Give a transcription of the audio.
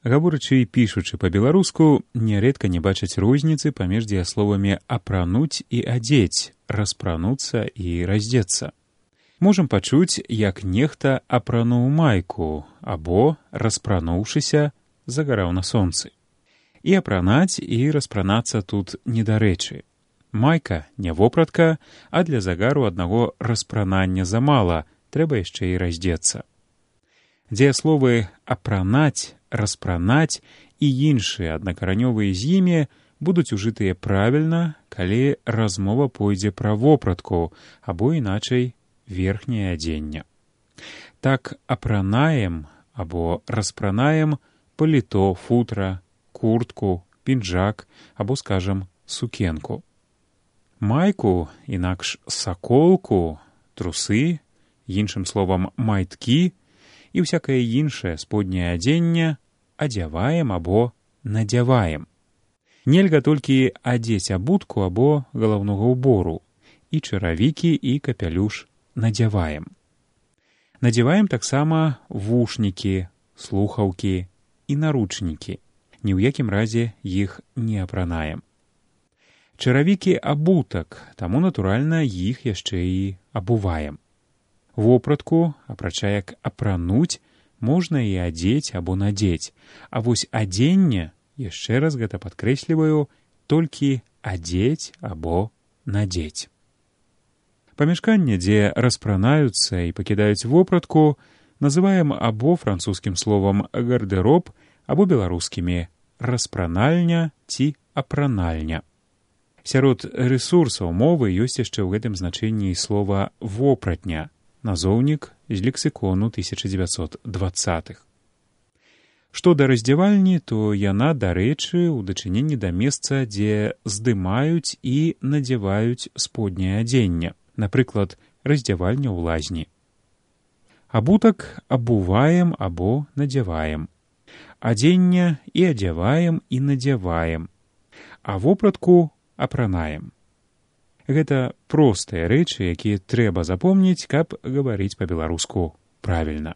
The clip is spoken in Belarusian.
Гаворачы і пішучы па-беларуску, нярэдка не бачаць розніцы паміж дзеясловамі «апрануць» і «адзець», «распрануцца» і «раздзецца». Можам пачуць, як нехта апрануў майку або, распрануўшыся, загараў на сонцы. І апранаць, і распранацца тут недарэчы. Майка не вопратка, а для загару аднаго распранання замала, трэба яшчэ і раздзецца. Дзеясловы «апранаць», «распранаць» і іншыя аднакаранёвыя з імі будуць ужытыя правільна, калі размова пойдзе пра вопратку або іначай верхняе адзенне. Так апранаем або распранаем паліто, футра, куртку, пінжак або, скажам, сукенку. Майку, інакш саколку, трусы, іншым словам майткі і всякае іншае сподняе адзенне адзяваем або надзяваем. Нельга толькі адзець абутку або галаўнога ўбору, і чаравікі, і капялюш надзяваем. Надзяваем таксама вушнікі, слухаўкі і наручнікі. Ні ў якім разе іх не апранаем. Чаравікі абутак, таму, натуральна, іх яшчэ і абуваем. Вопратку, апрача як апрануць, можна і адзець або надзець, а вось адзенне, яшчэ раз гэта падкрэсліваю, толькі адзець або надзець. Памяшканне, дзе распранаюцца і пакідаюць вопратку, называем або французскім словам гардэроб, або беларускімі распранальня ці апранальня. Сярод рэсурсаў мовы ёсць яшчэ ў гэтым значэнні слова «вопратня», назоўнік з лексікону 1920-х. Што да раздзявальні, то яна, дарэчы, у дачыненні да месца, дзе здымаюць і надзяваюць сподняе адзенне, напрыклад, раздзявальня ў лазні. Абутак абуваем або надзяваем. Адзенне і адзяваем і надзяваем. А вопратку апранаем. Гэта простыя рэчы, якія трэба запомніць, каб гаварыць па-беларуску правільна.